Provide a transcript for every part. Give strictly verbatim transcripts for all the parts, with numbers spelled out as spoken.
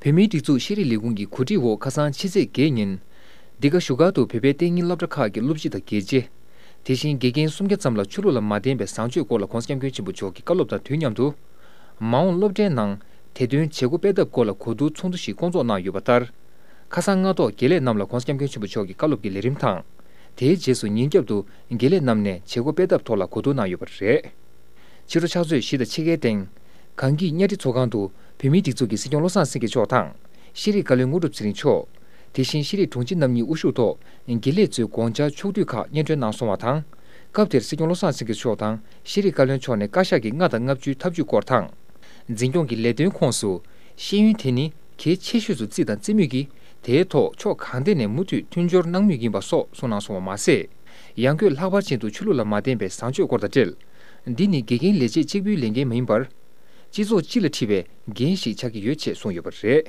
བོད་མིའི་སྒྲིག་འཛུགས་ཤེས་རིག་ལས་ཁུངས་ཀྱི་གོ་སྒྲིག་འོག་ཁ་སང་ཕྱི་ཚེས་བརྒྱད་ཉིན། འདི་ག་བཞུགས་སྒར་དུ་བོད་པའི་གཏན་ཉིན་སློབ་གྲྭ་ཁག་གི་སློབ་སྤྱི་དང་དགེ་ཆེ། དེ་བཞིན་དགེ་རྒན་སུམ་བརྒྱ་ཙམ་ལ་ཆོས་ལུགས་ལ་མ་བརྟེན་པའི་བཟང་སྤྱོད་སྐོར་ལ་༸གོང་ས་༸སྐྱབས་མགོན་ཆེན་པོ་མཆོག་གིས་བཀའ་སློབ་དང་དུས་མཉམ་དུ། མ་འོངས་སློབ་གྲྭའི་ནང་དེ་དོན་བྱེད་སྒོ་སྤེལ་ཐབས་སྐོར་ལ་གོ་བསྡུར་ཚོགས་འདུ་ཞིག་བསྐོང་ཚོགས་གནང་ཡོད་པ་ལྟར། ཁ་སང་སྔ་ཐོག་དགེ་ལས་རྣམས་ལ་༸གོང་ས་༸སྐྱབས་མགོན་ཆེན་པོ་མཆོག་གི་བཀའ་སློབ་ཀྱི་ལས་རིམ་དང་། དེའི་རྗེས་སུ་ཉིན་རྒྱབ་ཏུ་དགེ་ལས་རྣམས་ནས་བྱེད་སྒོ་སྤེལ་ཐབས་ཐོག་ལ་གོ་བསྡུར་གནང་ཡོད་པ་རེད། ཕྱི་དྲོ་ཕྱག་ཚོད་བཞི་དང་ཕྱེད་ཀའི་སྟེང་། གངས་སྐྱིད་གཉའ་ཁྲི་ཚོགས་ཁང་དུ་བོད་མིའི་སྒྲིག་འཛུགས་ཀྱི་སྲིད་སྐྱོང་བློ་བཟང་སེང་གེ་མཆོག་དང་། ཤེས་རིག་བཀའ་བློན་དངོས་གྲུབ་ཚེ་རིང་མཆོག་དེ་བཞིན་ཤེས་རིག་དྲུང་ཆེ་རྣམ་གཉིས་དབུ་བཞུགས་ཐོག་དགེ་ལས་ཚོའི་དགོངས་འཆར་ཕྱོགས་བསྡུས་ཁག་སྙན་སྒྲོན་གནང་སོང་བ་དང་། སྐབས་དེར་སྲིད་སྐྱོང་བློ་བཟང་སེང་གེ་མཆོག་དང་ཤེས་རིག་བཀའ་བློན་མཆོག་ནས་བཀའ་ཤག་གི་ལྔ་དང་ལྔ་བཅུའི་ཐབས་ཇུས་སྐོར་དང་། འཛིན་སྐྱོང་གི་ལས་དོན་ཁོངས་སུ། ཤེས་ཡོན་དེ་ནི་གལ་ཆེ་ཤོས་སུ་བརྩིས་དང་བརྩི་མུས་ཀྱིས། དེའི་ཐོག་ཕྱོགས་གང་ཐད་ནས་མུ་མཐུད་མཐུན་སྦྱོར་གནང་མུས་ཡིན་པ་སོགས་གསུངས་གནང་སོང་བ་མ་ཟད། ཡང་སྒོས་ལྷག་པར་ཅན་དུ་ཆོས་ལུགས་ལ་མ་བརྟེན་པའི་བཟང་སྤྱོད་སྐོར་དང་འབྲེལ། འདི་ནི་དགེ་རྒན་ལས་བྱེད་གཅིག་པུའི་ལས་འགན་མ་ཡིན་པར། སྤྱི་ཚོགས་སྤྱི་ལ་འཁྲི་བའི་འགན་ཞིག་ཆགས་ཀྱི་ཡོད་ཅེས་གསུངས་ཡོད་པ་རེད།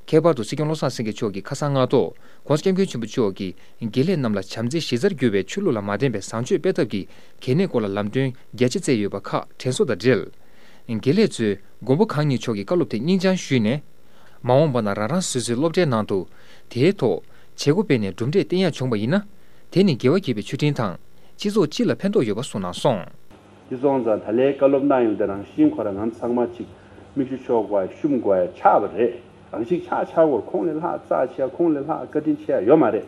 ཁྱད་པར་དུ་སྲིད་སྐྱོང་བློ་བཟང་སེང་གེ་མཆོག་གིས་ཁ་སང་སྔ་དྲོ་༸གོང་ས་༸སྐྱབས་མགོན་ཆེན་པོ་མཆོག་གིས་དགེ་ལས་རྣམས་ལ་བྱམས་བརྩེ་གཞི་རྩར་གྱུར་པའི་ཆོས་ལུགས་ལ་མ་བརྟེན་པའི་བཟང་སྤྱོད་སྤེལ་ཐབས་ཀྱི་གལ་གནད་སྐོར་ལ་ལམ་སྟོན་རྒྱ་ཆེ་བསྩལ་ཡོད་པ་ཁག་དྲན་གསོ་དང་འབྲེལ། དགེ་ལས་ཚོས་མགོན་པོ་གང་ཉིད་མཆོག་གི་བཀའ་སློབ་དེ་སྙིང་བཅངས་ཞུས་ནས། མ་འོངས་པ་ན་རང་རང་སོ་སོའི་སློབ་གྲྭའི་ནང་དུ། དེའི་ཐོག་བྱེད་སྒོ་སྤེལ་ནས་གྲུབ་འབྲས་བསྟན་ཡག་བྱུང་བ་ཡིན་ན། དེ་ནི་དགེ་བ་བགྱིས་པའི་མཆོད་སྤྲིན་དང་། སྤྱི་ཚོགས་སྤྱི་ལ་ཕན་ཐོགས་ཡོད་པ་གསུངས་གནང་སོང་། དེ་སོང་ཙང་ད་ལན་བཀའ་སློབ་གནང་ཡོང་དུས་རང་བཞིན་ཁོ་རང་ང་ཚང་མ་གཅིག་མིག་ཆུ་ཤོར་དགོས་ཡ་ཤུམ་དགོས་ཡ་ཆགས་པ་རེད། རང་བཞིན་ཆགས་ཆགས་སྐོར་ཁོང་ལས་ལྷག་རྩ་ཆེ་ཡ་ཁོང་ལས་ལྷག་བཀའ་དྲིན་ཆེ་ཡ་ཡོད་མ་རེད།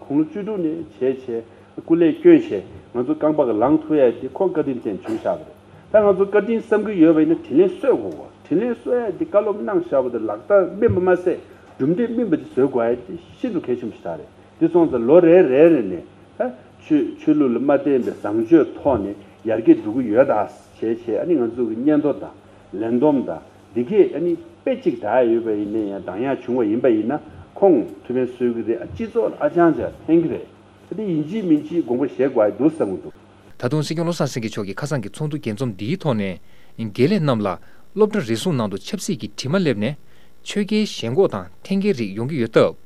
དགུང་ལོ་བཅུ་དྲུག་ནས་བྱས་བྱས་སྐུ་ལས་བསྐྱོན་བྱས་ང་ཚོ་རྐང་པ་གི་ལངས་ཐུབ་ཡ་དེ་ཁོ་བཀའ་དྲིན་ཅན་བྱུང་བཞག་པ་རེད། ད་ང་ཚོ་བཀའ་དྲིན་བསམ་གྱི་ཡོད་པ་ཡིན་ན་དྲིན་ལན་གསོ་དགོས་གོ། དྲིན་ལན་གསོ་ཡ་དེ་བཀའ་སློབ་གནང་བཞག་པ་དེ་ལག་བསྟར་སྨིན་པ་མ་ཟད་གྲུབ་འབྲས་སྨིན་པ་དེ་བཟོ་དགོས་ཡ་དེ་ཤིན་ཏུ་གལ་ཆེན་པོ་ཞིག་རེད། དེ་སོང་ཙང་ལོ་རེ་རེ་རེ་ནས་ད་ཆོས་ཆོས་ལུགས་ལ་མ་བརྟེན་པའི་བཟང་སྤྱོད་ཐོག་ནས་ཡར་རྒྱས་འགྲོ་གི་ཡོད་ད་བྱས་བྱས་ཨ་ནི་ང་ཚོ་གི་སྙན་ཐོ་དང་ལས་བསྡོམས་དང་འདི་གས་ཨ་ནི་དཔེ་གཅིག་བསྒྲགས་ཡོད་པ་ཡིན་ན་ཡང་འདང་ཡག་བྱུང་བ་ཡིན་པ་ཡིན་ན་ཁོང་ཐུགས་ཕན་གསོས་ཀྱི་རེད། ཨ་སྤྱི་ཚོགས་ལ་ཨ་ཅང་ཅང་ཕན་གྱི་རེད། ད་དེ་ཡིན་གཅིག་མིན་གཅིག་དགོངས་པ་བཞེས་དགོས་ཡ་འདུག་བསམ་གྱི་འདུག་ད་དུང་སྲིད་སྐྱོང་བློ་བཟང་སེང་གེ་མཆོག་གིས་ཁ་སང་གི་ཚོགས་འདུ་རྒྱས་འཛོམས་འདིའི་ཐོག་ནས། དགེ་ལས་རྣམས་ལ་སློབ་གྲྭ་རེ་ཟུང་ནང་དུ་ཆབ་སྲིད་ཀྱི་དྲི་མ་སླེབས་ནས། ཆོས་རྒྱལ་ཞེན་ཁོག་དང་འཐེན་འཁྱེར་རིགས་ཡོང་གི་ཡོད་སྟབས།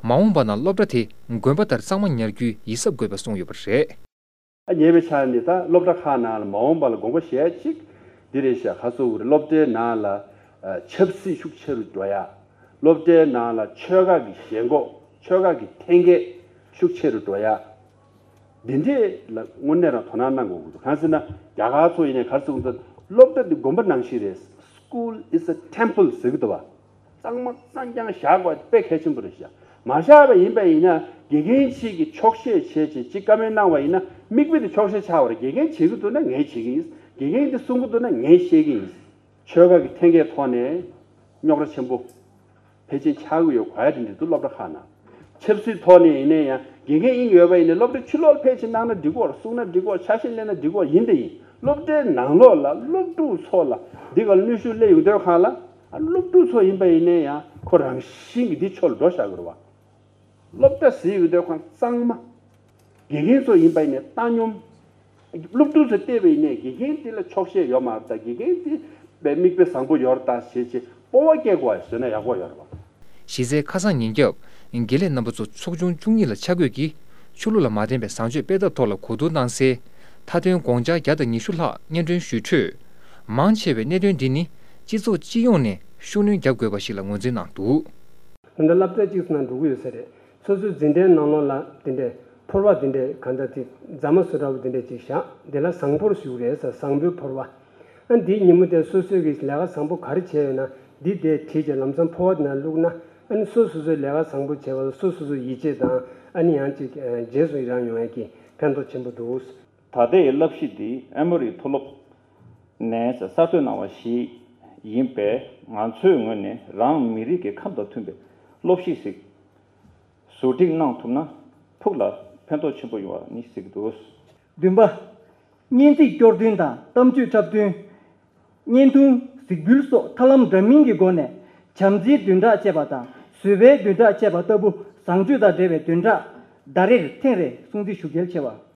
མ་འོངས་པ་ན་སློབ་གྲྭ་དེ་དགོན་པ་ལྟར་གཙང་མ་ཉར་རྒྱུའི་ཡིད་གཟབ་དགོས་པ་གསུངས་ཡོད་པ་རེད། ཨ་ཉེ་བའི་ཆར་ནས་ད་སློབ་གྲྭ་ཁག་ནང་ལ་མ་འོངས་པ་ལ་དགོངས་པ་བཞེས་ཅིག་འདི་རེད་ཤག་ཁ་སོ་བོར་སློབ་གྲྭའི་ནང་ལ་ཨ་ཆབ་སྲིད་ཤུགས་ཆེ་རུ་འགྲོ་ཡ། སློབ་གྲྭའི་ནང་ལ་ཆོལ་ཁ་གི་ཞེན་ཁོག་ཆོལ་ཁ་གི་འཐེན་འཁྱེར་ཤུགས་ཆེ་རུ་འགྲོ་ཡ། འདི་འདྲས་ལ་དངོས་གནས་རང་དོ་སྣང་གནང་དགོས་ཀྱི་འདུག་གང་ཟེར་ན་རྒྱ་གར་ཚོ་ཡིན་ནའི་ག་རེ་ཟེར་གྱི་འདུག་སློབ་གྲྭ་འདི་དགོན་པ་ནང་བཞིན་རེད། School is a temple ཟེར་གྱི་འདུག་བ། གཙང་མ་གཙང་རྐྱང་བཞག་དགོས་དཔེ་གལ་ཆེན་པོ་རེད་ཤག་མ་བཞག་པ་ཡིན་པ་ཡིན་ན་དགེ་རྒན་གཅིག་གིས་ཆོག་ཤེས་བྱས་བྱས་གཅིག་བཀའ་མོལ་གནང་བ་ཡིན་ན་མིག་དཔེ་དེ་ཆོག་ཤེས་ཆགས་པ་རེད། དགེ་རྒན་བྱེད་ཀྱི་འདུག་ན་ངས་བྱེད་ཀྱི་ཡིན། དགེ་རྒན་དེ་གསུང་གི་འདུག་ན་ངས་བཤད་ཀྱི་ཡིན། ཆོལ་ཁ་གི་འཐེན་འཁྱེར་ཐོག་ནས་རྙོག་དྲ་ཆེན་པོ་ཕལ་ཆེར་ཆགས་ཀྱི་ཡོད་གོ་ཡ་དེ་འདྲ་འདུག་སློབ་གྲྭ་ཁག་ནང་། ཆབ་སྲིད་ཐོག་ནས་ཡིན་ན་ཡང་དགེ་རྒན་ཡིན་ཡོད་པ་ཡིན་ན་སློབ་གྲྭའི་ཕྱི་ལོགས་ལ་ཕལ་ཆེར་གནང་ན་འགྲིག་གོ། གསུང་ན་འགྲིག་གོ། ཆ་ཤས་ལེན་ན་འགྲིག་གོ། ཡིན་དེ་ཡིན། སློབ་གྲྭའི་ནང་ལོགས་ལ་སློབ་ཕྲུག་ཚོ་ལ་འདི་ག་ལ་གནོན་ཤུགས་སླེབས་ཡོང་དུས་སྒང་ལ་ཨ་སློབ་ཕྲུག་ཚོ་ཡིན་པ་ཡིན་ན་ཡང་ཁོ་རང་བཞིན་གྱིས་འདི་ཕྱོགས་ལ་འགྲོ་བཞག་གི་རེད་བ། སློབ་གྲྭ་ཟེར་ཡོང་དུས་ཁོང་གཙང་མ། དགེ་རྒན་ཚོ་ཡིན་པ་ཡིན་ནའི་བཏང་སྙོམས། སློབ་ཕྲུག་ཚོ་བལྟས་པ་ཡིན་ནའི་དགེ་རྒན་དེ་ལ་ཆོག་ཤེས་ཡོད་མ་རེད་ད། དགེ་རྒན་དེ་པའི་མིག་དཔེ་བཟང་པོ་ཡོད་རེད་ད་ཞེས་བྱས་སྤོབས་པ་སྐྱེ་དགོས་པ་བཟོས་ན་ཡག་པོ་ཡོད་རེད་བ། གཞི་རྩའི་ཁ་སང་ཉིན་རྒྱབ་དགེ་ལས་རྣམ་པ་ཚོ་ཚོགས་ཆུང་བཅུ་གཉིས་ལ་ཆ་བགོས་ཀྱིས་ཆོས་ལུགས་ལ་མ་བརྟེན་པའི་བཟང་སྤྱོད་སྤེལ་ཐབས་ཐོག་ལ་གོ་བསྡུར་གནང་སའི་མཐའ་དོན་དགོངས་འཆར་བརྒྱ་དང་ཉི་ཤུ་ལྷག་སྙན་སྒྲོན་ཞུས་འཕྲོས། མང་ཆེ་བས་གནད་དོན་འདི་ནི་སྤྱི་ཚོགས་སྤྱི་ཡོངས་ནས་ཤུགས་སྣོན་རྒྱག་དགོས་པ་ཞིག་ལ་ངོས་འཛིན་གནང་འདུག་ད་ལྟ་སློབ་གྲྭ་གཅིག་ཙམ་ནང་འགྲོ་གི་ཡོད་ས་རེད། སོ་སོའི་འཛིན་གྲྭའི་ནང་ལོགས་ལ་དེ་འདྲའི་ཕོར་པ་དེ་འདྲའི་གང་ལྟར་དེ་རྫ་མ་བཟོ་འདྲ་པོ་དེ་འདྲ་ཅིག་བཞག་དེ་ལ་བཟང་ཕོར་ཞུ་གི་རེད་ཟེར། བཟང་པོའི་ཕོར་པ། ཨ་འདིའི་ཉིན་མོ་དེར་སོ་སོས་ཀྱི་ལས་ཀ་བཟང་པོ་ག་རེ་བྱས་ཡོད་ན་འདི་དེ་བྲིས་བྱས་ལམ་སང་ཕོར་པ་དེ་ནང་བླུགས་ན་ཨ་ནི་སོ་སོ་སོའི་ལས་ཀ་བཟང་པོ་བྱས་པ་ལ་སོ་སོ་སོ་ཡིད་ཆེས་དང་ཨ་ནི་ཡང་ཅིག་རྗེས་སུ་ཡི་རང་ཡོང་ཡས་ཀྱི་ཕན་ཐོགས་ཆེན་པོ་འདུག་ད་ལྟའི་བསླབ་གཞི་འདི་ཨེ་མོ་རི་མཐོ་སློབ་ནས་གསར་གཏོད་གནང་བ་ཞིག་ཡིན་པས་ང་ཚོའི་ངོས་ནས་རང་མི་རིགས་ཀྱི་ཁམས་དང་མཐུན་པའི་སློབ་གཞི་ཞིག་བཟོ་སྒྲིག་གནང་ཐུབ་ན་ཕུགས་ལ་ཕན་ཐོགས་ཆེན་པོ་ཡོང་བ་ནི་གཟིགས་འདུག་བདུན་པ། སྙན་ཚིག་སྐྱོར་འདོན་དང་གཏམ་བརྗོད་འཁྲབ་སྟོན། བརྙན་ཐུང་གཟིགས་འབུལ་སོགས་ཐབས་ལམ་འདྲ་མིན་གྱི་སྒོ་ནས་བྱམས་བརྩེའི་བདུན་ཕྲག་ཅེས་པ་དང་བཟོད་པའི་བདུན་ཕྲག་ཅེས་པ་ལྟ་བུ་བཟང་སྤྱོད་དང་འབྲེལ་བའི་བདུན་ཕྲག་ཟླ་རེར་ཐེངས་རེ་སྲུང་བརྩི་ཞུ་གལ་ཆེ་བ།